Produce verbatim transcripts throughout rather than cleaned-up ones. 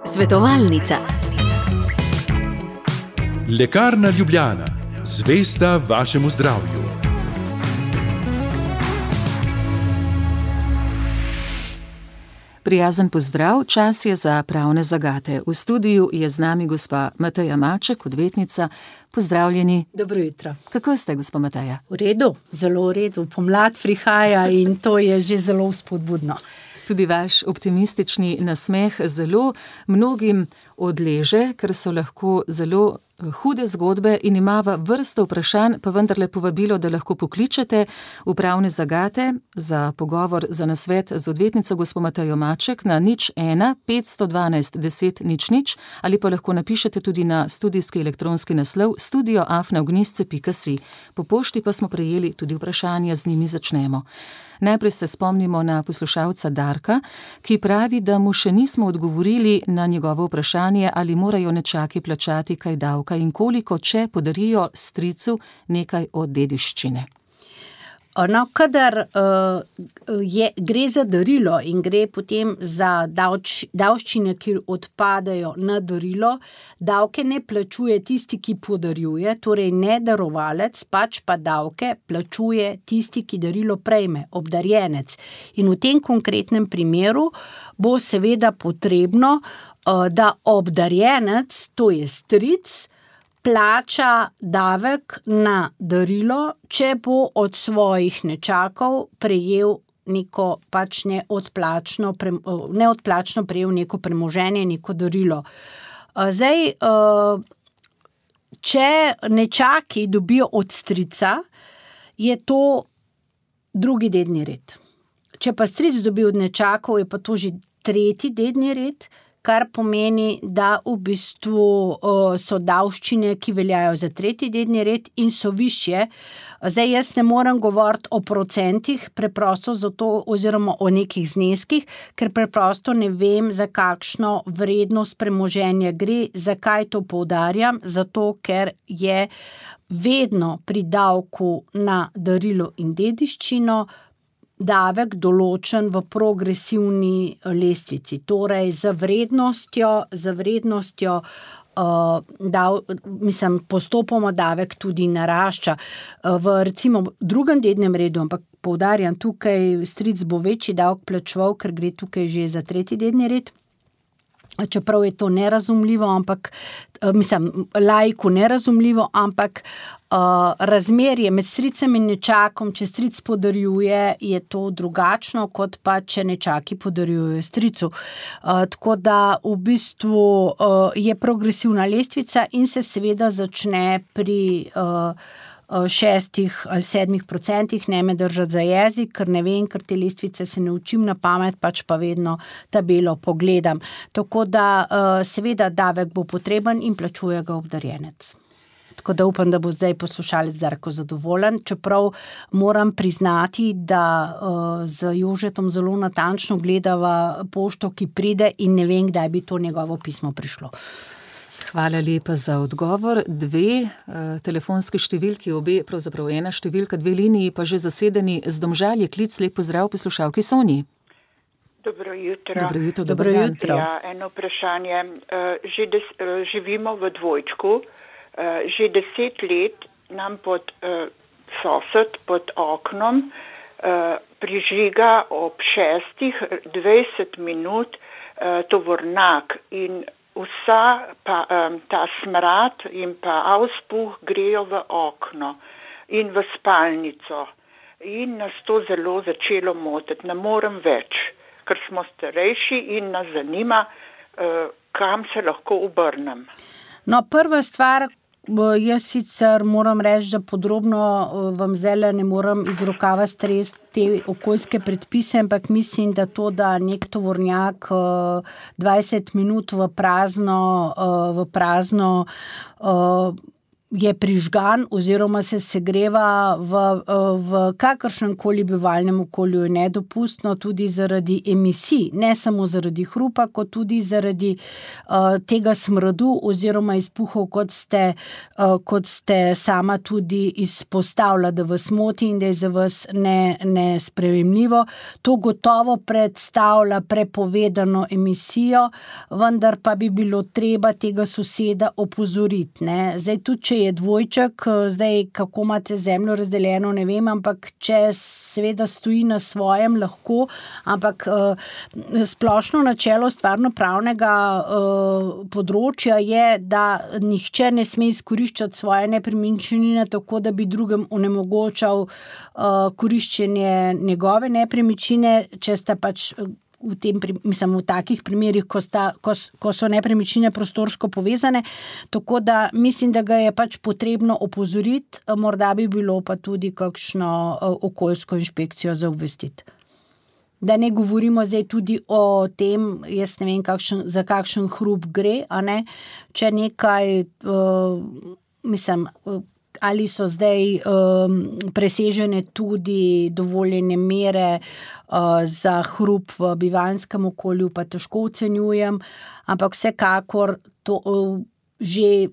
Svetovalnica. Lekarna Ljubljana. Zvesta vašemu zdravju. Prijazen pozdrav, čas je za pravne zagate. V studiu je z nami gospa Mateja Maček, odvetnica. Pozdravljeni. Dobro jutro. Kako ste, gospa Mateja? V redu, zelo v redu. Pomlad prihaja in to je že zelo spodbudno. Tudi vaš optimistični nasmeh zelo mnogim odleže, ker so lahko zelo hude zgodbe in imava vrsto vprašanj, pa vendarle povabilo, da lahko pokličete v pravne zagate za pogovor, za nasvet z odvetnico gospo Matejo Maček na nič ena petsto dvanajst deset nič nič ali pa lahko napišete tudi na studijski elektronski naslov studio afna ognjisce pika si. Po pošti pa smo prejeli tudi vprašanja, z njimi začnemo. Najprej se spomnimo na poslušalca Darka, ki pravi, da mu še nismo odgovorili na njegovo vprašanje, ali morajo nečaki plačati kaj davka in koliko, če podarijo stricu nekaj od dediščine. No, kadar uh, je, gre za darilo in gre potem za davč, davščine, ki odpadajo na darilo, davke ne plačuje tisti, ki podarjuje, torej ne darovalec, pač pa davke plačuje tisti, ki darilo prejme, obdarjenec. In v tem konkretnem primeru bo seveda potrebno, uh, da obdarjenec, to je stric, plača davek na darilo, če bo od svojih nečakov prejel neko pač neodplačno, neodplačno prejel neko premoženje, neko darilo. Zdaj, če nečaki dobijo od strica, je to drugi dedni red. Če pa stric dobi od nečakov, je pa to že tretji dedni red, kar pomeni, da v bistvu uh, so davščine, ki veljajo za tretji dedni red in so višje. Zdaj jaz ne morem govoriti o procentih, preprosto zato, oziroma o nekih zneskih, ker preprosto ne vem, za kakšno vrednost premoženja gre. Zakaj to poudarjam? Zato, ker je vedno pri davku na darilo in dediščino davek določen v progresivni lestvici, torej za vrednostjo, za vrednostjo uh, dav, mislim, postopoma davek tudi narašča. Uh, v recimo drugem dednem redu, ampak poudarjam, tukaj stric bo večji davek plačeval, ker gre tukaj že za tretji dedni red. Čeprav je to nerazumljivo, ampak, mislim, laiku nerazumljivo, ampak uh, razmerje med stricem in nečakom, če stric podarjuje, je to drugačno, kot pa če nečaki podarjujejo stricu. Uh, tako da v bistvu uh, je progresivna lestvica in se seveda začne pri uh, šestih ali sedmih procentih, ne me držati za jezik, ker ne vem, ker te lestvice se ne učim na pamet, pač pa vedno tabelo pogledam. Tako da seveda davek bo potreben in plačuje ga obdarjenec. Tako da upam, da bo zdaj poslušalec Darko zadovoljen, čeprav moram priznati, da uh, z Jožetom zelo natančno gledava pošto, ki pride in ne vem, kdaj bi to njegovo pismo prišlo. Hvala lepa za odgovor. Dve uh, telefonski številki, obe, pravzaprav ena številka, dve liniji pa že zasedeni. Z Domžal je klic, lep pozdrav poslušalki Sonji. Dobro jutro. Dobro jutro, Dobro dober dan. jutro. Ja, eno vprašanje. Uh, že des, uh, živimo v dvojčku. Uh, že deset let nam pod uh, sosed, pod oknom uh, prižiga ob šestih dvajset minut uh, tovornjak in vsa pa, um, ta smrad in pa auspuh grejo v okno in v spalnico. In nas to zelo začelo motiti. Ne morem več, ker smo starejši in nas zanima, uh, kam se lahko obrnem. No, prva stvar, jaz sicer moram reči, da podrobno vam zdaj ne moram iz rokava stresti te okoljske predpise, ampak mislim, da to, da nek tovornjak dvajset minut v prazno, v prazno je prižgan oziroma se segreva v, v kakršnem koli bivalnem okolju, je nedopustno tudi zaradi emisij, ne samo zaradi hrupa, kot tudi zaradi uh, tega smradu oziroma izpuhov, kot ste, uh, kot ste sama tudi izpostavila, da vas moti in da je za vas ne, nesprejemljivo. To gotovo predstavlja prepovedano emisijo, vendar pa bi bilo treba tega soseda opozoriti. Ne? Zdaj, tudi če je dvojček, zdaj kako imate zemljo razdeljeno, ne vem, ampak če seveda stoji na svojem, lahko, ampak uh, splošno načelo stvarnopravnega uh, področja je, da nihče ne sme izkoriščati svoje nepremičnine tako, da bi drugem onemogočal uh, koriščenje njegove nepremičnine, če sta pač v tem, mislim, v takih primerih, ko, sta, ko, ko so nepremičnine prostorsko povezane, tako da mislim, da ga je pač potrebno opozoriti, morda bi bilo pa tudi kakšno okoljsko inšpekcijo za obvestiti. Da ne govorimo zdaj tudi o tem, jaz ne vem, kakšen, za kakšen hrup gre, a ne, če nekaj, uh, mislim, ali so zdaj um, presežene tudi dovoljene mere uh, za hrup v bivanjskem okolju, pa težko ocenjujem, ampak vsekakor to uh, že,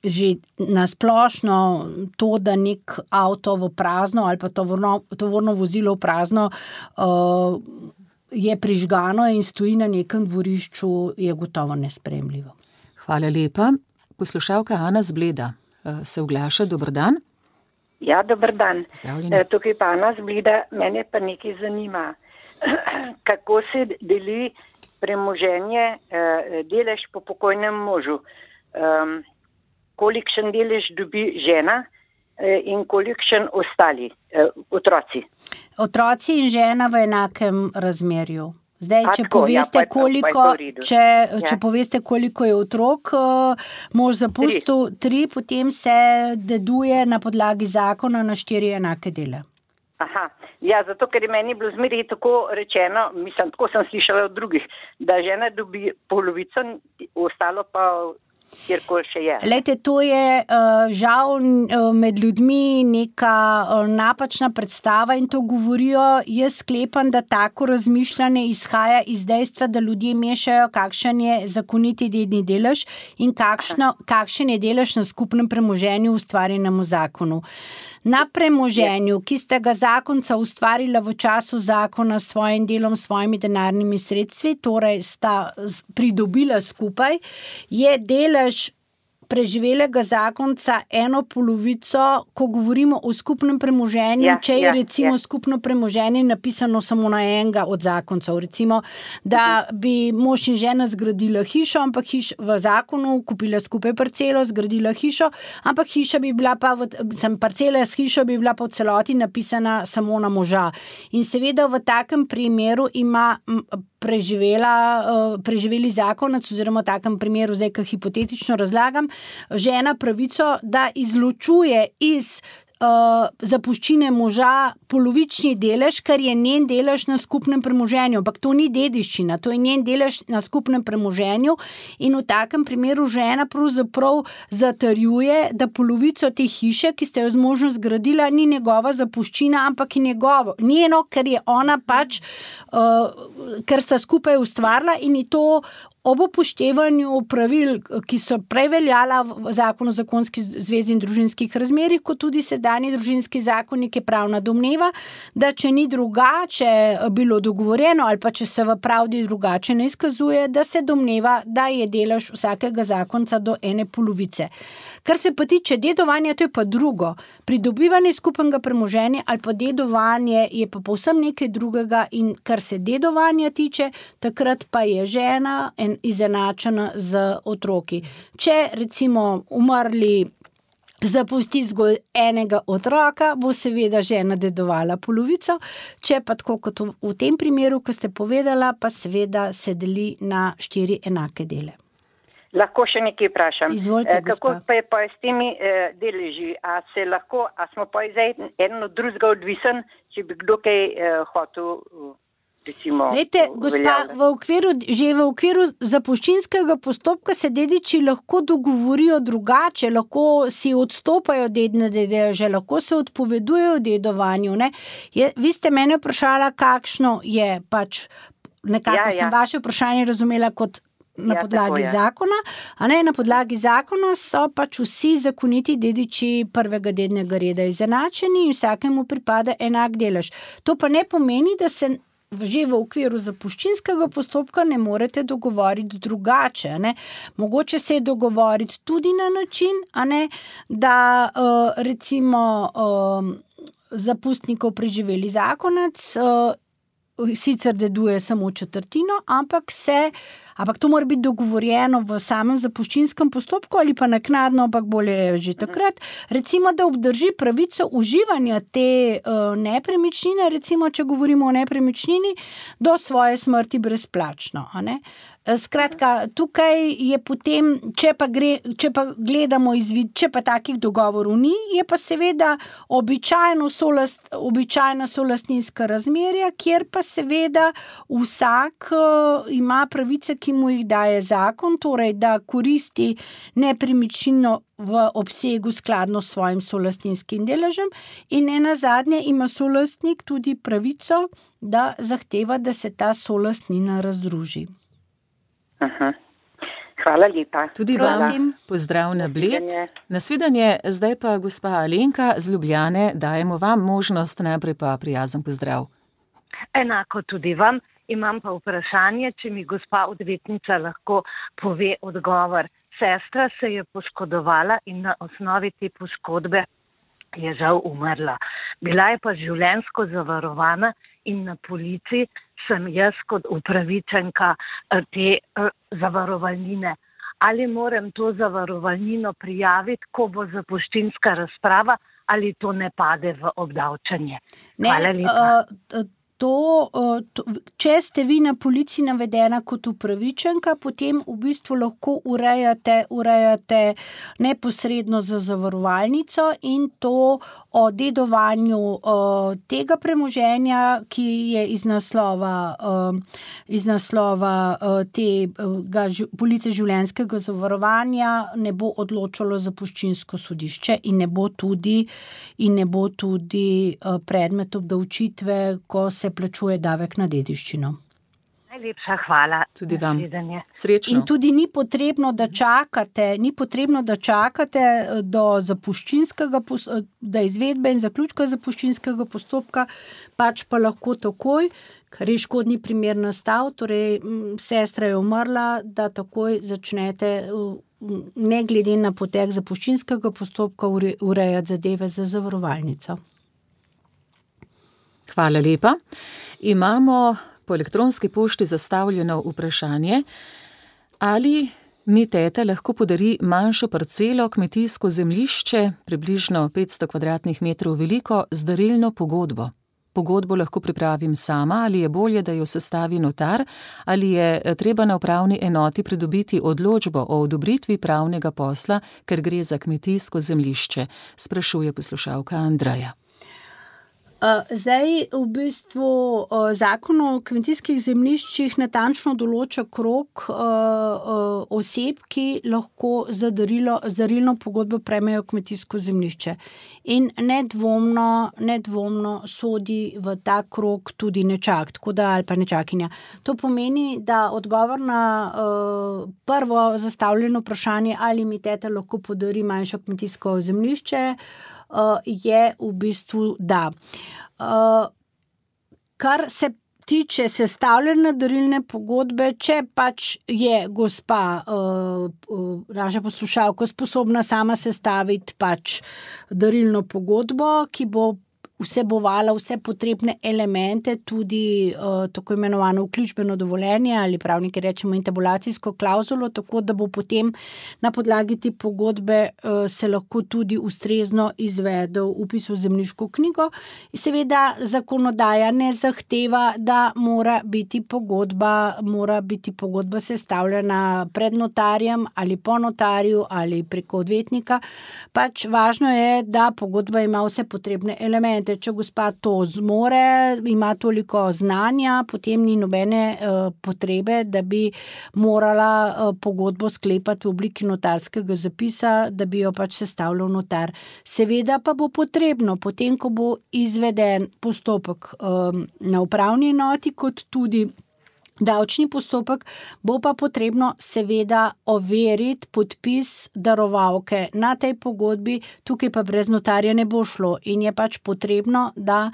že nasplošno to, da nek avto v prazno ali pa tovorno, tovorno vozilo v prazno uh, je prižgano in stoji na nekem dvorišču, je gotovo nesprejemljivo. Hvala lepa. Poslušalka Ana z Bleda se oglaša. Dober dan. Ja, dober dan. Zdravljeni. Tukaj pa Ana z Bleda. Mene pa nekaj zanima. Kako se deli premoženje, delež po pokojnem možu? Kolikšen delež dobi žena in kolikšen ostali otroci? Otroci in žena v enakem razmerju. Zdaj, če tako, poveste, ja, koliko, če, ja. če poveste, koliko je otrok, mož zapustil tri. tri, potem se deduje na podlagi zakona na štiri enake dele. Aha, ja, zato, ker je meni bilo zmeraj tako rečeno, mislim, tako sem slišala od drugih, da žena dobi polovico, ostalo pa kjerkoli še je. Lejte, to je uh, žal uh, med ljudmi neka uh, napačna predstava in to govorijo. Jaz sklepam, da tako razmišljanje izhaja iz dejstva, da ljudje mešajo, kakšen je zakoniti dedni delež in kakšno, kakšen je delež na skupnem premoženju ustvarjenem v zakonu. Na premoženju, ki ste ga zakonca ustvarila v času zakona s svojim delom, s svojimi denarnimi sredstvi, torej sta pridobila skupaj, je delež preživelega zakonca eno polovico, ko govorimo o skupnem premoženju, ja, če je ja, recimo ja. skupno premoženje napisano samo na enega od zakoncev. Recimo, da bi mož in žena zgradila hišo, ampak hiš v zakonu kupila skupaj parcelo, zgradila hišo, ampak hiša bi bila pa, v, sem parcela s hišo bi bila po celoti napisana samo na moža. In seveda v takem primeru ima preživela, preživeli zakonac, oziroma v takem primeru, zdaj, ki hipotetično razlagam, žena pravico, da izločuje iz uh, zapuščine moža polovični delež, kar je njen delež na skupnem premoženju. Ampak to ni dediščina, to je njen delež na skupnem premoženju in v takem primeru žena pravzaprav zatrjuje, da polovico te hiše, ki ste jo z možem zgradila, ni njegova zapuščina, ampak je njegovo. Njeno, ker je ona pač, uh, ker sta skupaj ustvarila in je to ob upoštevanju pravil, ki so prej veljala v zakonu o zakonski zvezi in družinskih razmerjih, kot tudi sedanji družinski zakonik, je pravna domneva, da če ni drugače bilo dogovorjeno ali pa če se v pravdi drugače ne izkazuje, da se domneva, da je delež vsakega zakonca do ene polovice. Kar se pa tiče dedovanja, to je pa drugo. Pridobivanje skupnega premoženja ali pa dedovanje je pa povsem nekaj drugega in kar se dedovanja tiče, takrat pa je žena en izenačena z otroki. Če recimo umrli zapusti zgolj enega otroka, bo seveda žena dedovala polovico, če pa tako kot v tem primeru, ko ste povedala, pa seveda se deli na štiri enake dele. Lahko še nekaj vprašam. Izvolite, Kako pa je pa s temi eh, deleži? A se lahko, a smo pa zdaj eno od drugega odvisen, če bi kdo kaj eh, hotel recimo Lejte, gospa, v okviru, že v okviru zapuščinskega postopka se dediči lahko dogovorijo drugače, lahko si odstopajo dedne deleže, lahko se odpovedujejo dedovanju. Ne? Je, vi ste mene vprašala, kakšno je pač, nekako Ja, sem ja. vaše vprašanje razumela kot na Ja, podlagi tako je. zakona, a ne, na podlagi zakona so pač vsi zakoniti dediči prvega dednega reda izenačeni in vsakemu pripada enak delež. To pa ne pomeni, da se že v okviru zapuščinskega postopka ne morete dogovoriti drugače. A ne? Mogoče se je dogovoriti tudi na način, a ne, da uh, recimo uh, zapustnikov preživeli zakonec uh, sicer deduje samo četrtino, ampak se Ampak to mora biti dogovorjeno v samem zapuščinskem postopku ali pa naknadno, ampak bolje že takrat. Recimo, da obdrži pravico uživanja te uh, nepremičnine, recimo, če govorimo o nepremičnini, do svoje smrti brezplačno. A ne? Skratka, tukaj je potem, če pa, gre, če pa gledamo izvid, če pa takih dogovorov ni, je pa seveda običajno solast, običajna solastninska razmerja, kjer pa seveda vsak uh, ima pravice, ki mu jih daje zakon, torej da koristi nepremičnino v obsegu skladno s svojim solastinskim deležem in nenazadnje ima solastnik tudi pravico, da zahteva, da se ta solastnina razdruži. Aha. Hvala lepa. Tudi Prosim. vam pozdrav na Bled. Nasvidenje. Nasvidenje, zdaj pa gospa Alenka z Ljubljane, dajemo vam možnost, najprej pa prijazen pozdrav. Enako tudi vam. Imam pa vprašanje, če mi gospa odvetnica lahko pove odgovor. Sestra se je poškodovala in na osnovi te poškodbe je žal umrla. Bila je pa življenjsko zavarovana in na polici sem jaz kot upravičenka te uh, zavarovalnine. Ali moram to zavarovalnino prijaviti, ko bo zapuščinska razprava, ali to ne pade v obdavčanje? Ne, Hvala lepa. uh, To, to, če ste vi na policiji navedena kot upravičenka, potem v bistvu lahko urejate, urejate neposredno za zavarovalnico in to o dedovanju uh, tega premoženja, ki je iz naslova, uh, iz naslova uh, tega police življenjskega zavarovanja, ne bo odločalo zapuščinsko sodišče in ne bo tudi, in ne bo tudi uh, predmet obdavčitve, ko se plačuje davek na dediščino. Najlepša hvala. Tudi vam. Nasvidenje. Srečno. In tudi ni potrebno, da čakate, ni potrebno, da čakate do zapuščinskega, da izvedbe in zaključka zapuščinskega postopka, pač pa lahko takoj, ker je škodni primer nastal, torej sestra je umrla, da takoj začnete, ne glede na potek zapuščinskega postopka, urejati zadeve za zavarovalnico. Hvala lepa. Imamo po elektronski pošti zastavljeno vprašanje, ali mi teta lahko podari manjšo parcelo, kmetijsko zemljišče, približno petsto kvadratnih metrov veliko, z darilno pogodbo. Pogodbo lahko pripravim sama, ali je bolje, da jo sestavi notar, ali je treba na upravni enoti pridobiti odločbo o odobritvi pravnega posla, ker gre za kmetijsko zemljišče, sprašuje poslušalka Andreja. Zdaj, v bistvu, zakon o kmetijskih zemljiščih natančno določa krog oseb, ki lahko za darilo, z darilno pogodbo prejmejo kmetijsko zemljišče. In nedvomno, nedvomno sodi v ta krog tudi nečak, tako da ali pa nečakinja. To pomeni, da odgovor na uh, prvo zastavljeno vprašanje, ali mi teta lahko podari manjšo kmetijsko zemljišče, Uh, je v bistvu da. Uh, kar se tiče sestavljene darilne pogodbe, če pač je gospa, uh, uh, naša poslušalka, sposobna sama sestaviti pač darilno pogodbo, ki bo vsebovala vse potrebne elemente, tudi uh, tako imenovano vključbeno dovoljenje ali pravniki rečemo intabulacijsko klauzulo, tako da bo potem na podlagi te pogodbe uh, se lahko tudi ustrezno izvedel vpis v zemljiško knjigo. In seveda zakonodaja ne zahteva, da mora biti pogodba, mora biti pogodba sestavljena pred notarjem ali po notarju ali preko odvetnika. Pač važno je, da pogodba ima vse potrebne elemente. razumete, če gospa to zmore, ima toliko znanja, potem ni nobene uh, potrebe, da bi morala uh, pogodbo sklepati v obliki notarskega zapisa, da bi jo pač sestavljal notar. Seveda pa bo potrebno, potem, ko bo izveden postopek um, na upravni enoti, kot tudi davčni postopek, bo pa potrebno seveda overiti podpis darovalke na tej pogodbi, tukaj pa brez notarja ne bo šlo in je pač potrebno, da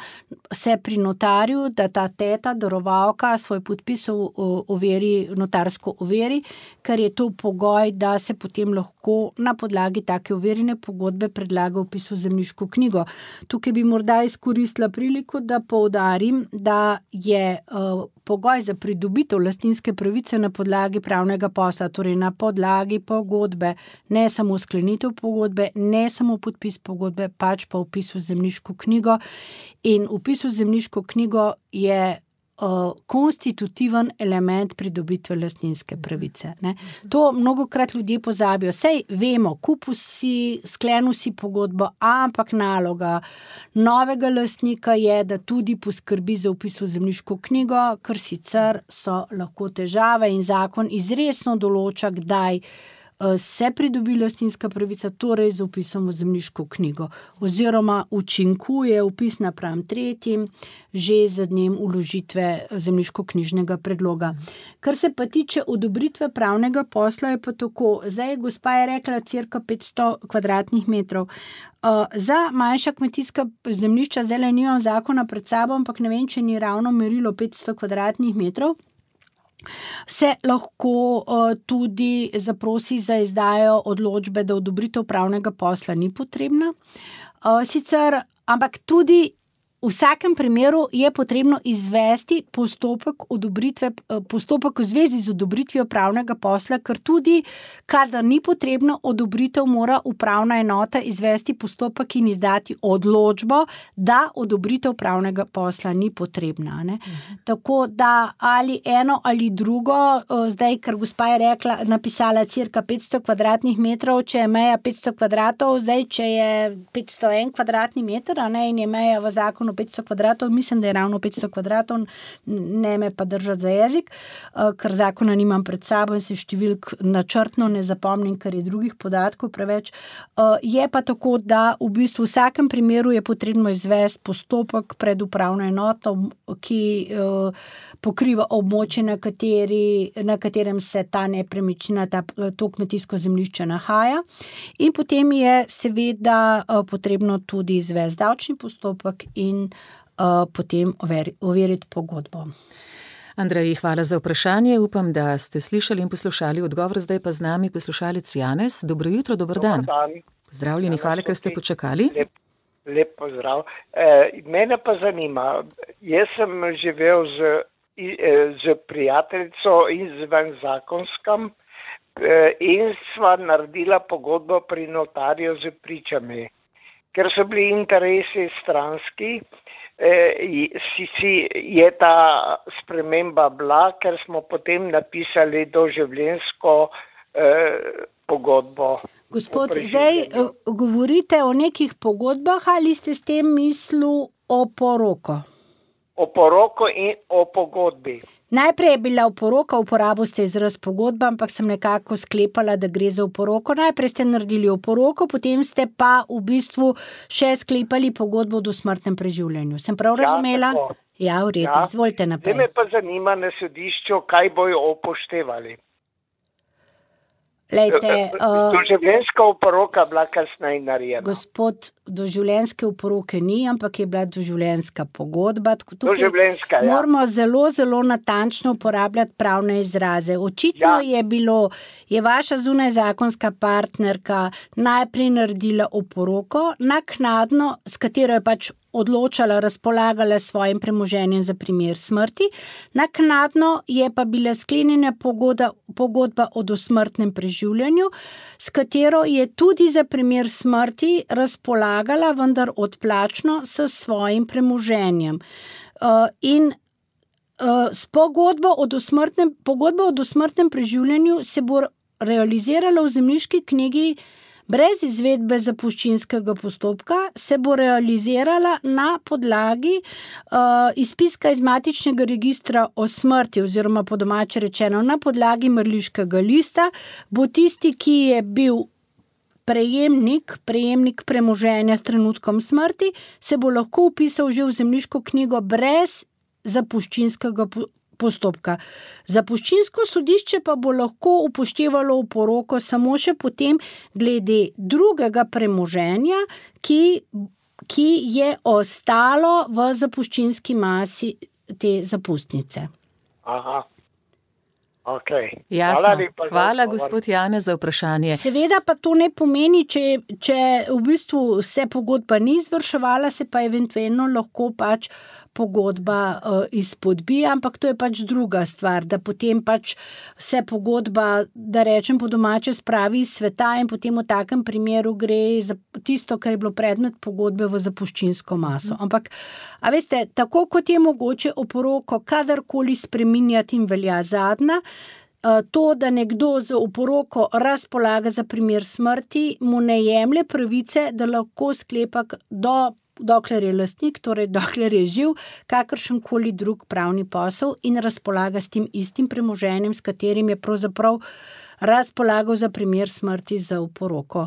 se pri notarju, da ta teta, darovalka svoj podpis overi, notarsko overi, ker je to pogoj, da se potem lahko na podlagi take overjene pogodbe predlaga vpis v zemljiško knjigo. Tukaj bi morda izkoristila priliko, da poudarim, da je uh, pogoj za pridobitev lastninske pravice na podlagi pravnega posla, torej na podlagi pogodbe, ne samo sklenitev pogodbe, ne samo podpis pogodbe, pač pa vpis v zemljiško knjigo. In vpis v zemljiško knjigo je uh, konstitutiven element pridobitve lastninske pravice. Ne. To mnogokrat ljudje pozabijo. Sej vemo, kupil si, sklenil si pogodbo, ampak naloga novega lastnika je, da tudi poskrbi za vpis v zemljiško knjigo, ker sicer so lahko težave in zakon izresno določa, kdaj se pridobi lastninska pravica, torej z vpisom v zemljiško knjigo, oziroma učinkuje vpis napram tretjim že z dnem vložitve zemljiško-knjižnega predloga. Kar se pa tiče odobritve pravnega posla, je pa tako. Zdaj, gospa je rekla cirka petsto kvadratnih metrov. Uh, za manjša kmetijska zemljišča, zdaj le nimam zakona pred sabo, ampak ne vem, če ni ravno merilo petsto kvadratnih metrov, se lahko uh, tudi zaprosi za izdajo odločbe, da odobritev pravnega posla ni potrebna. Uh, sicer, ampak tudi v vsakem primeru je potrebno izvesti postopek odobritve, postopek v zvezi z odobritvijo pravnega posla, ker tudi, kadar ni potrebno odobritev, mora upravna enota izvesti postopek in izdati odločbo, da odobritev pravnega posla ni potrebna. Ne? Mhm. Tako da ali eno ali drugo, zdaj, ker gospa je rekla, napisala cirka petsto kvadratnih metrov, če je meja petsto kvadratov, zdaj, če je petsto en kvadratni meter, a ne, in je meja v zakonu petsto kvadratov, mislim, da je ravno petsto kvadratov, ne me pa držati za jezik, ker zakona nimam pred sabo in se številk načrtno ne zapomnim, ker je drugih podatkov preveč. Je pa tako, da v bistvu v vsakem primeru je potrebno izvesti postopek pred upravno enoto, ki pokriva območje, na, kateri, na katerem se ta nepremičnina, ta, to kmetijsko zemljišče nahaja. In potem je seveda potrebno tudi izvesti davčni postopek in uh, potem overi, overiti pogodbo. Andrej, hvala za vprašanje. Upam, da ste slišali in poslušali odgovor. Zdaj pa z nami poslušalec Janez. Dobro jutro, dober dan. dan. Pozdravljeni, hvala, ker ste počakali. Lep, lep pozdrav. E, mene pa zanima, jaz sem živel z, z prijateljico izven zakonskem e, in sva naredila pogodbo pri notarju z pričami. Ker so bili interesi stranski, eh, si, si je ta sprememba bila, ker smo potem napisali doživljenjsko eh, pogodbo. Gospod, zdaj govorite o nekih pogodbah ali ste s tem mislili o poroko? O poroko in o pogodbi. Najprej je bila oporoka, uporabo ste izraz pogodba, ampak sem nekako sklepala, da gre za oporoko. Najprej ste naredili oporoko, potem ste pa v bistvu še sklepali pogodbo o dosmrtnem preživljanju. Sem prav razumela? Ja, ja, v redu, ja. Izvolite naprej. Zdaj me pa zanima na sodišču, kaj bojo upoštevali. Lejte, uh, doživljenjska oporoka bila kasneje narejena. Gospod, doživljenjske oporoke ni, ampak je bila doživljenjska pogodba. Doživljenjska, ja. Moramo zelo, zelo natančno uporabljati pravne izraze. Očitno ja. je bilo, je vaša zunajzakonska partnerka najprej naredila oporoko, naknadno, s katero je pač odločala, razpolagala svojim premoženjem za primer smrti. Naknadno je pa bila sklenjena pogodba, pogodba o dosmrtnem preživljanju, s katero je tudi za primer smrti razpolagala, vendar odplačno s svojim premoženjem. Uh, in uh, s pogodbo o dosmrtnem, pogodbo o dosmrtnem preživljanju se bo realizirala v zemljiški knjigi brez izvedbe zapuščinskega postopka se bo realizirala na podlagi uh, izpiska iz matičnega registra o smrti oziroma po domače rečeno na podlagi mrliškega lista, bo tisti, ki je bil prejemnik, prejemnik premoženja s trenutkom smrti, se bo lahko vpisal že v zemljiško knjigo brez zapuščinskega postopka. Zapuščinsko sodišče pa bo lahko upoštevalo oporoko samo še potem glede drugega premoženja, ki, ki je ostalo v zapuščinski masi te zapustnice. Aha. Okay. Jasno. Hvala, lepa, Hvala gospod Janez, za vprašanje. Seveda pa to ne pomeni, če, če v bistvu se pogodba ni izvrševala, se pa eventualno lahko pač pogodba uh, izpodbija, ampak to je pač druga stvar, da potem pač se pogodba, da rečem po domače, spravi iz sveta in potem v takem primeru gre za tisto, kar je bilo predmet pogodbe v zapuščinsko maso. Ampak, a veste, tako kot je mogoče oporoko kadarkoli spreminjati in velja zadnja, to, da nekdo z oporoko razpolaga za primer smrti, mu ne jemlje pravice, da lahko sklepa do dokler je lastnik, torej dokler je živ, kakršenkoli drug pravni posel in razpolaga s tem istim premoženjem, s katerim je pravzaprav razpolagal za primer smrti za oporoko.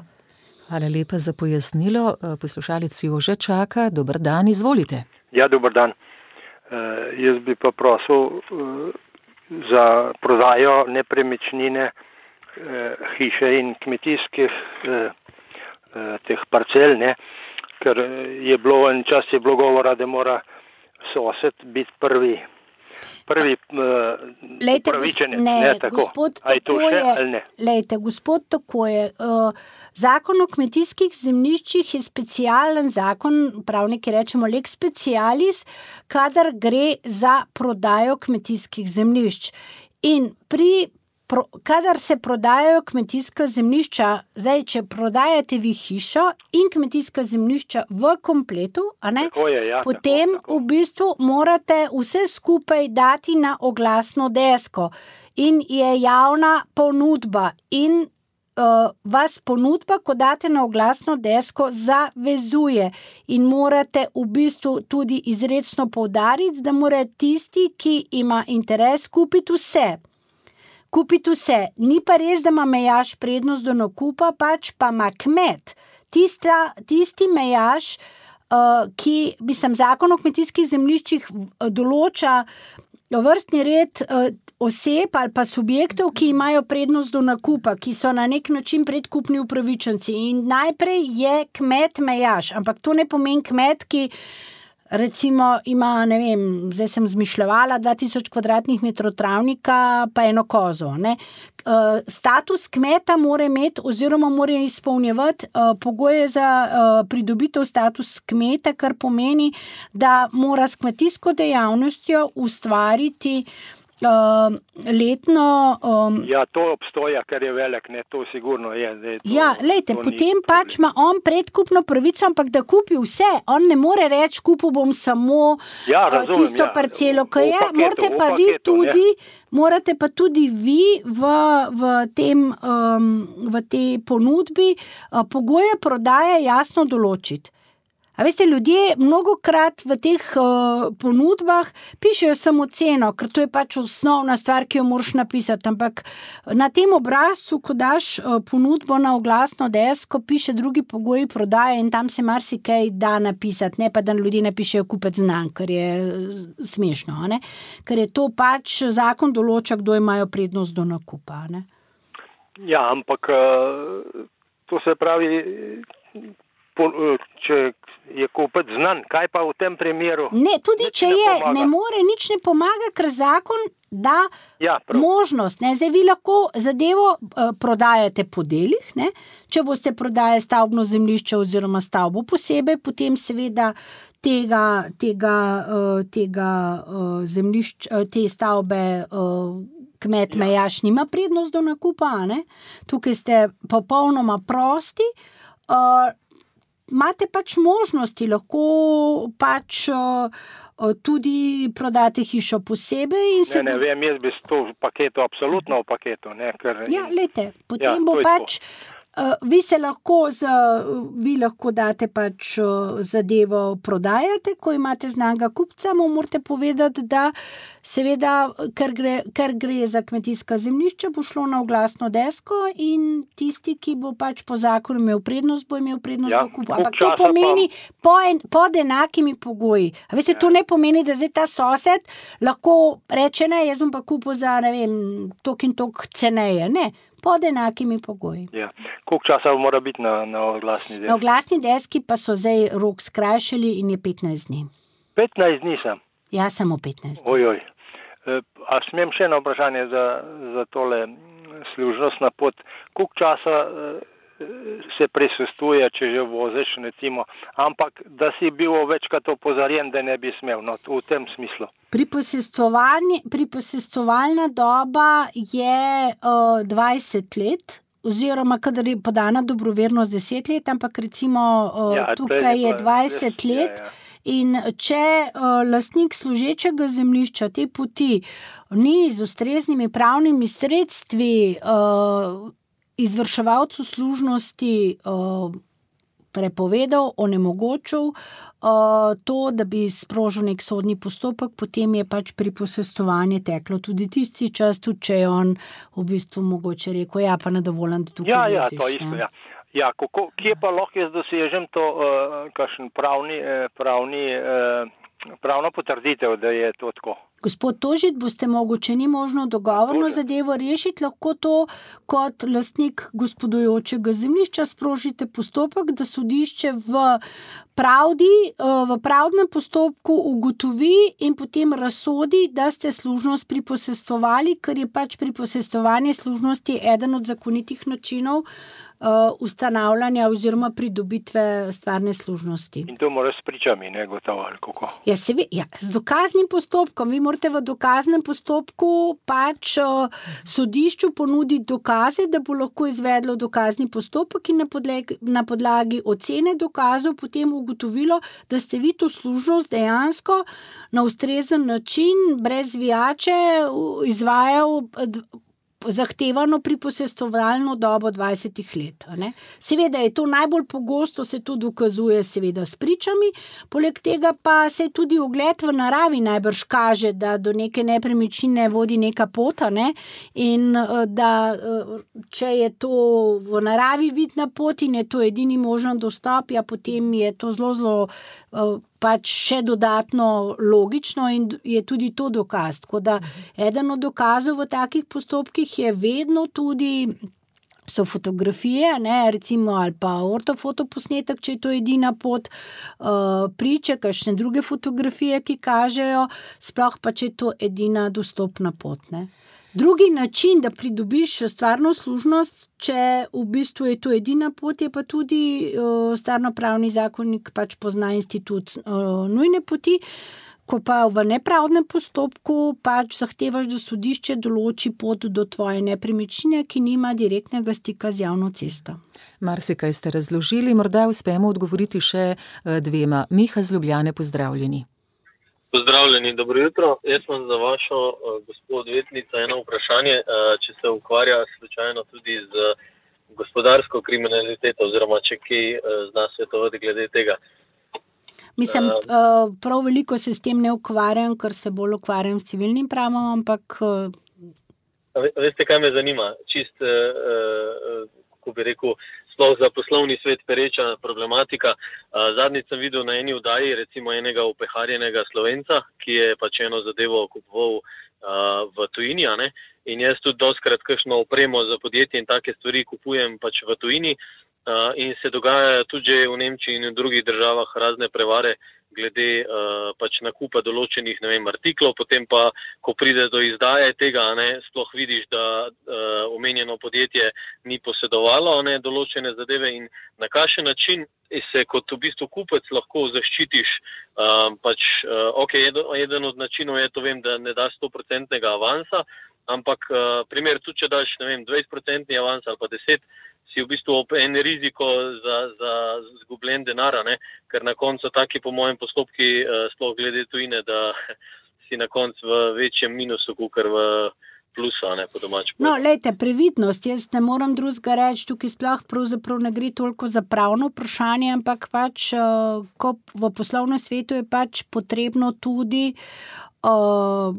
Hvala lepa za pojasnilo. Poslušalec Jože čaka. Dober dan, izvolite. Ja, dober dan. Uh, jaz bi pa prosil uh, za prodajo nepremičnine, uh, hiše in kmetijskih uh, uh, teh parcel, ne? Ker je bilo, en čas je bilo govora, da mora sosed biti prvi, prvi uh, lejte, upravičenec. Ne, ne, tako. Gospod, A je to tako še je, ali ne? Lejte, gospod, tako je. Uh, zakon o kmetijskih zemljiščih je specialen zakon, pravniki rečemo lex specialis, kadar gre za prodajo kmetijskih zemljišč. In pri Pro, kadar se prodajajo kmetijska zemljišča, zdaj, če prodajate vi hišo in kmetijska zemljišča v kompletu, a ne, tako je, ja, potem tako, tako. v bistvu morate vse skupaj dati na oglasno desko in je javna ponudba in uh, vas ponudba, ko date na oglasno desko, zavezuje in morate v bistvu tudi izrecno poudariti, da mora tisti, ki ima interes, kupiti vse. Kupiti vse. Ni pa res, da ima mejaš prednost do nakupa, pač pa ima kmet. Tista, tisti mejaš, uh, ki, mislim, zakon o kmetijskih zemljiščih določa vrstni red uh, oseb ali pa subjektov, ki imajo prednost do nakupa, ki so na nek način predkupni upravičenci. In najprej je kmet mejaš, ampak to ne pomeni kmet, ki recimo ima, ne vem, zdaj sem zmišljala, dva tisoč kvadratnih metrov travnika pa eno kozo. Ne? Uh, status kmeta mora imeti oziroma mora izpolnjevati uh, pogoje za uh, pridobitev status kmeta, kar pomeni, da mora s kmetijsko dejavnostjo ustvariti Uh, letno... Um, ja, to obstoja, ker je velik, ne, to sigurno je. je to, ja, lejte, potem pač ima on predkupno pravico, ampak da kupi vse. On ne more reči, kupil bom samo ja, razumem, uh, tisto ja. parcelo, ko je. Paketu, morate pa vi paketu, tudi, morate pa tudi vi v, v, tem, um, v tej ponudbi uh, pogoje prodaje jasno določiti. A veste, ljudje mnogokrat v teh uh, ponudbah pišejo samo ceno, ker to je pač osnovna stvar, ki jo moraš napisati, ampak na tem obrazcu, ko daš uh, ponudbo na oglasno desko, piše drugi pogoji prodaje in tam se marsikaj da napisati, ne pa da ljudje napišejo kupec znan, ker je uh, smešno, ne? Ker je to pač zakon določa, kdo imajo prednost do nakupa. Ne? Ja, ampak uh, to se pravi, po, uh, če je kupec znan, kaj pa v tem primeru? Ne, tudi če ne je, pomaga. ne more, nič ne pomaga, ker zakon da ja, možnost. Ne? Zdaj vi lahko zadevo uh, prodajate po delih, ne? Če boste prodajali stavbno zemljišče oziroma stavbo posebej, potem seveda tega, tega, uh, tega uh, zemljišč, uh, te stavbe uh, kmet ja. mejaš nima prednost do nakupa, ne? Tukaj ste popolnoma prosti, uh, imate pač možnosti, lahko pač uh, tudi prodate hišo posebej. In se ne, ne, bo... vem, jaz bi to v paketu, absolutno v paketu. Ne, ker... Ja, lejte, potem ja, bo pač, Uh, vi se lahko, z, vi lahko date pač zadevo prodajate, ko imate znanga kupca, mu morate povedati, da seveda, ker gre, ker gre za kmetijska zemljišča, bo šlo na oglasno desko in tisti, ki bo pač po zakonu imel prednost, bo imel prednost Ja, do kupa. Ampak koliko to časa pomeni po en, pod enakimi pogoji. A veste, to ne pomeni, da zdaj ta sosed lahko reče, ne, jaz bom pa kupil za, ne vem, tok in tok ceneje. Ne, pod enakimi pogoji. Ja. Koliko časa mora biti na, na oglasni deski? Na oglasni deski pa so zdaj rok skrajšali in je petnajst dni. petnajst dni sem. Ja, samo petnajst dni. Ojoj. E, a smem še eno vprašanje za, za tole služnost na pot. Koliko časa e, se prisustuje, če že voziš, recimo, ampak da si bil večkrat opozorjen, da ne bi smel, no, v tem smislu. Priposestovalna doba je uh, dvajset let, oziroma kadar je podana dobrovernost deset let, ampak recimo uh, Ja, tukaj je je pa dvajset res, ja, let. ja. In če uh, lastnik služečega zemljišča te poti ni z ustreznimi pravnimi sredstvi uh, izvrševalcu služnosti uh, prepovedal, onemogočil uh, to, da bi sprožil nek sodni postopek, potem je pač priposestovanje teklo tudi tisti čas, tudi če je on v bistvu mogoče rekel, ja, pa nedovoljen, da tukaj Ja, ja, voziš, to ne. isto, ja. Ja, kako, kje pa lahko jaz dosežem to, uh, kakšen pravni, uh, pravni, uh, pravno potrditev, da je to tako? Gospod Tožit, boste mogoče ni možno dogovorno Tožit. zadevo rešiti, lahko to kot lastnik gospodujočega zemljišča sprožite postopek, da sodišče v pravdi, v pravdnem postopku ugotovi in potem razsodi, da ste služnost priposestovali, ker je pač priposestovanje služnosti eden od zakonitih načinov ustanavljanja oziroma pridobitve stvarne služnosti. In to moraš s pričami, ne, gotovo, ali kako? Ja, se ve, ja, z dokaznim postopkom. Vi morate v dokaznem postopku pač uh, sodišču ponuditi dokaze, da bo lahko izvedlo dokazni postopek in na podlagi, na podlagi ocene dokazov potem ugotovilo, da ste vi to služnost dejansko na ustrezen način, brez zvijače, izvajal zahtevano priposestovalno dobo dvajsetih let. Ne? Seveda je to najbolj pogosto, se to dokazuje seveda s pričami, poleg tega pa se tudi ogled v naravi najbrž kaže, da do neke nepremičnine vodi neka pota, ne? In da če je to v naravi vidna pot in je to edini možen dostop, ja, potem je to zelo, zelo pač še dodatno logično in je tudi to dokaz. Tako da eden od dokazov v takih postopkih je vedno tudi so fotografije, ne, recimo, ali pa ortofotoposnetek, če je to edina pot, uh, priče, kakšne druge fotografije, ki kažejo, sploh pa, če je to edina dostopna pot, ne. Drugi način, da pridobiš stvarno služnost, če v bistvu je to edina pot, je pa tudi uh, stvarnopravni zakonik pač pozna institut uh, nujne poti, ko pa v nepravdnem postopku pač zahtevaš, da sodišče določi pot do tvoje nepremičnine, ki nima direktnega stika z javno cesto. Marsikaj ste razložili, morda uspemo odgovoriti še dvema. Miha z Ljubljane, pozdravljeni. Pozdravljeni, dobro jutro. Jaz sem za vašo uh, gospod odvetnica eno vprašanje, uh, če se ukvarja slučajno tudi z gospodarsko kriminaliteto oziroma če kaj uh, zna svetovati glede tega. Mislim, uh, prav veliko se s tem ne ukvarjam, ker se bolj ukvarjam s civilnim pravom, ampak... Uh... Veste, kaj me zanima? Čist, uh, kako bi rekel, sploh za poslovni svet pereča problematika. Zadnjič sem videl na eni vdaji recimo enega upeharjenega Slovenca, ki je pač eno zadevo kupoval v tujini, a ne? In jaz tudi dostkrat kakšno opremo za podjetje in take stvari kupujem pač v tujini in se dogajajo tudi že v Nemčiji in v drugih državah razne prevare glede uh, pač nakupa določenih, ne vem, artiklov, potem pa, ko pride do izdaje tega, ne, sploh vidiš, da uh, omenjeno podjetje ni posedovalo, ne, določene zadeve in na kakšen način se kot v bistvu kupec lahko zaščitiš, uh, pač, uh, ok, eden od načinov je to, vem, da ne daš sto procentov avansa, ampak uh, primer tudi, če daš, ne vem, dvajset procentov avansa ali pa deset, si v bistvu en riziko za, za zgubljen denar, ne? Ker na koncu taki po mojem postopki, uh, sploh glede tujine, da si na koncu v večjem minusu, kakor v plusa, ne, po domač. No, lejte, previdnost, jaz ne moram drugega reči, tukaj sploh pravzaprav ne gre toliko za pravno vprašanje, ampak pač, ko v poslovnem svetu je pač potrebno tudi uh,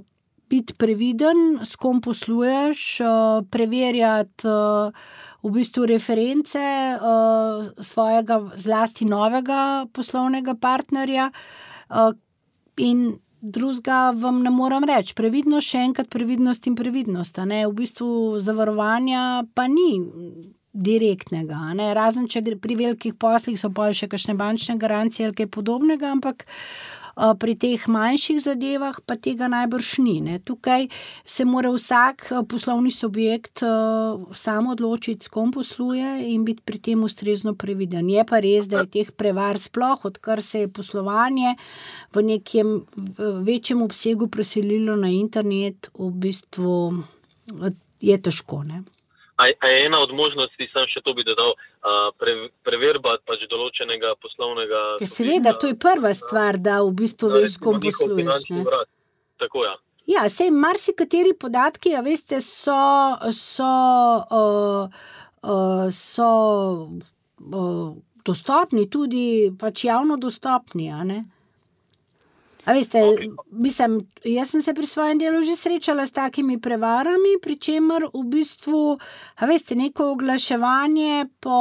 biti previden, s kom posluješ, uh, preverjati uh, v bistvu reference uh, svojega zlasti novega poslovnega partnerja uh, in drugega vam ne moram reči. Previdnost, še enkrat previdnost in previdnost. A ne? V bistvu zavarovanja pa ni direktnega. A ne? Razen, če pri velikih poslih so pa še kakšne bančne garancije ali kaj podobnega, ampak pri teh manjših zadevah pa tega najbrž ni. Ne? Tukaj se mora vsak poslovni subjekt sam odločiti, s kom posluje in biti pri tem ustrezno previden. Je pa res, da je teh prevar sploh, odkar se je poslovanje v nekem večjem obsegu preselilo na internet, v bistvu je težko. Ne? A je ena od možnosti, sam še to bi dodal, pre, preverba pač določenega poslovnega... Ja, seveda, to je prva stvar, da v bistvu veš, s kom posluješ. Tako, ja. Ja, sej marsikateri podatki, a veste, so, so, uh, uh, so uh, dostopni, tudi pač javno dostopni, a ne? A veste, okay. Mislim, jaz sem se pri svojem delu že srečala s takimi prevarami, pri čemer v bistvu, a veste, neko oglaševanje po,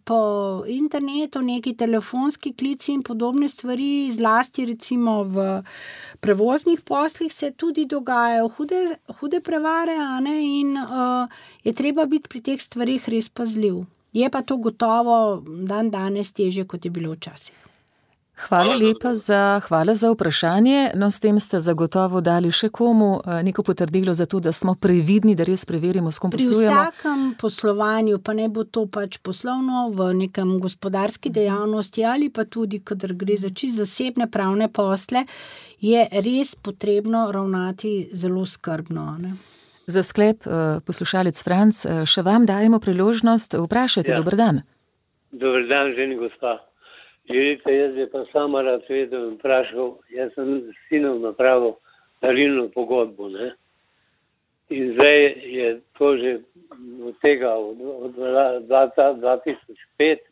po internetu, neki telefonski klici in podobne stvari, zlasti recimo v prevoznih poslih se tudi dogajajo hude, hude prevare, a ne, in uh, je treba biti pri teh stvarih res pazljiv. Je pa to gotovo dan danes težje, kot je bilo včasih. Hvala lepa za, hvala za vprašanje. No, s tem ste zagotovo dali še komu neko potrdilo za to, da smo previdni, da res preverimo, s kom poslujemo. Pri vsakem poslovanju, pa ne bo to pač poslovno v nekem gospodarski dejavnosti ali pa tudi, kadar gre za čisto zasebne pravne posle, je res potrebno ravnati zelo skrbno, ne? Za sklep, poslušalec Franc, še vam dajemo priložnost, vprašajte, ja. Dober dan. Dober dan, ženi gospa. Želite, jaz je pa sama rad vedel in vprašal, jaz sem s sinom napravil darilno pogodbo, ne. In zdaj je to že od tega, od, od dva tisoč pet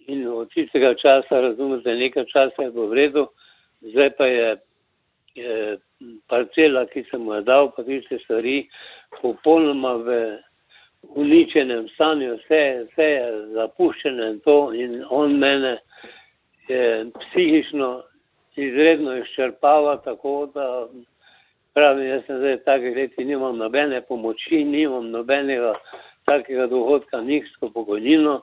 in od tistega časa, razumete, nekaj časa je bilo v redu, zdaj pa je, je parcela, ki sem mu je dal, pa tiste stvari, popolnoma v uničenem stanju, vse, vse je zapuščeno in to, in on mene je psihično izredno izčrpava, tako da pravim, jaz sem zdaj v takih letih, nimam nobene pomoči, nimam nobenega takega dohodka, niksko pokojnino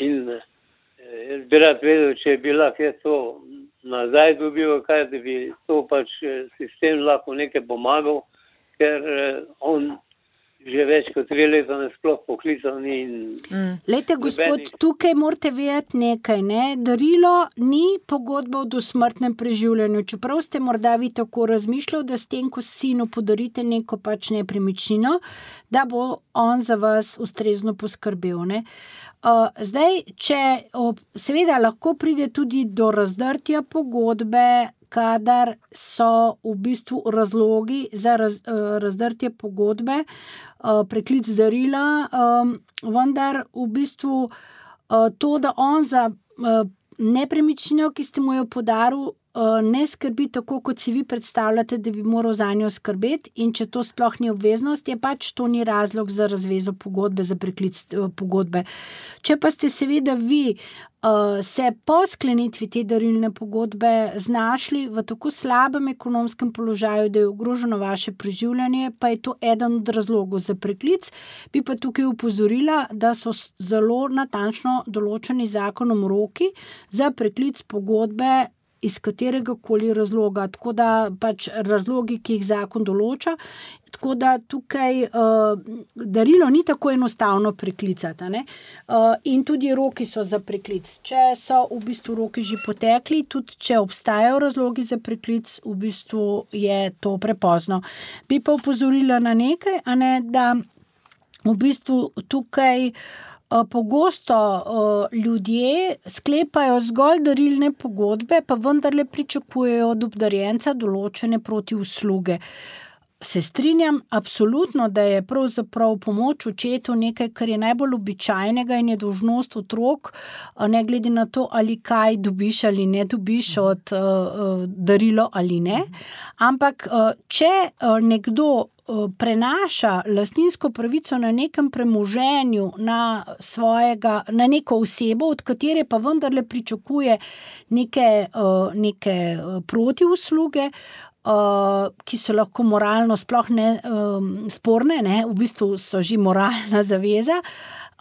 in jaz bi rad vedel, če je bila kje to nazaj dobil, kaj da bi to pač sistem lahko nekaj pomagal, ker on že več kot tri leta ne sploh poklical ni. Mm. Lejte, gospod, tukaj morate vedeti nekaj, ne? Darilo ni pogodba o dosmrtnem preživljanju, čeprav ste morda vi tako razmišljali, da s tem, ko sinu podarite neko pač nepremičnino, da bo on za vas ustrezno poskrbel, ne? Uh, zdaj, če seveda lahko pride tudi do razdrtja pogodbe, kadar so v bistvu razlogi za raz, uh, razdrtje pogodbe, uh, preklic darila, um, vendar v bistvu uh, to, da on za uh, nepremičnino, ki ste mu jo podaril, uh, ne skrbi tako, kot si vi predstavljate, da bi moral za njo skrbeti, in če to sploh ni obveznost, je pač to ni razlog za razvezo pogodbe, za preklic uh, pogodbe. Če pa ste seveda vi Uh, se po sklenitvi te darilne pogodbe znašli v tako slabem ekonomskem položaju, da je ogroženo vaše preživljanje, pa je to eden od razlogov za preklic, bi pa tukaj upozorila, da so zelo natančno določeni zakonom roki za preklic pogodbe iz katerega koli razloga, tako da pač razlogi, ki jih zakon določa, tako da tukaj uh, darilo ni tako enostavno preklicati, ne? Uh, in tudi roki so za preklic. Če so v bistvu roki že potekli, tudi če obstajajo razlogi za preklic, v bistvu je to prepozno. Bi pa opozorila na nekaj, a ne, da v bistvu tukaj pogosto uh, ljudje sklepajo zgolj darilne pogodbe, pa vendarle pričakujejo od obdarjenca določene protiusluge. se strinjam absolutno, da je pravzaprav pomoč očetu nekaj, kar je najbolj običajnega in je dolžnost otrok, ne glede na to, ali kaj dobiš ali ne dobiš od uh, darilo ali ne. Ampak uh, če uh, nekdo prenaša lastninsko pravico na nekem premoženju na svojega, na neko osebo, od katere pa vendarle pričakuje neke, neke protiusluge, ki so lahko moralno sploh ne sporne, ne, v bistvu so že moralna zaveza,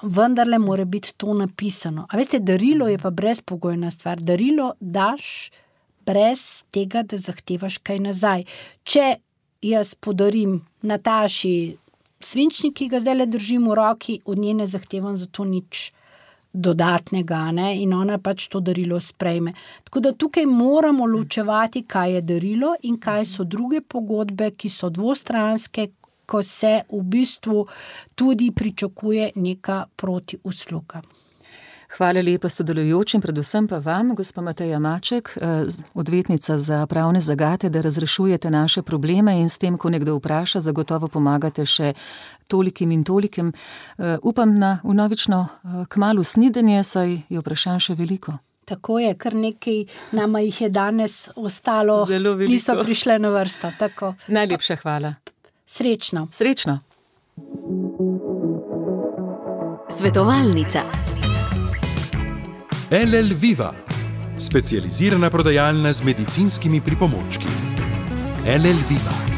vendarle mora biti to napisano. A veste, darilo je pa brezpogojna stvar. Darilo daš brez tega, da zahtevaš kaj nazaj. Če jaz podarim Nataši svinčnik, ki ga zdaj držim v roki, od nje ne zahtevam za to nič dodatnega, ne? In ona pač to darilo sprejme. Tako da tukaj moramo ločevati, kaj je darilo in kaj so druge pogodbe, ki so dvostranske, ko se v bistvu tudi pričakuje neka protiusluga. Hvala lepa sodelujočim, predvsem pa vam, gospa Mateja Maček, odvetnica za pravne zagate, da razrešujete naše probleme in s tem, ko nekdo vpraša, zagotovo pomagate še tolikim in tolikim. Upam na vnovično kmalu snidenje, saj je vprašanj še veliko. Tako je, kar nekaj nama jih je danes ostalo, niso prišle na vrsto. Tako. Najlepša hvala. Srečno. Srečno. Svetovalnica. L L Viva, specializirana prodajalna z medicinskimi pripomočki. L L Viva.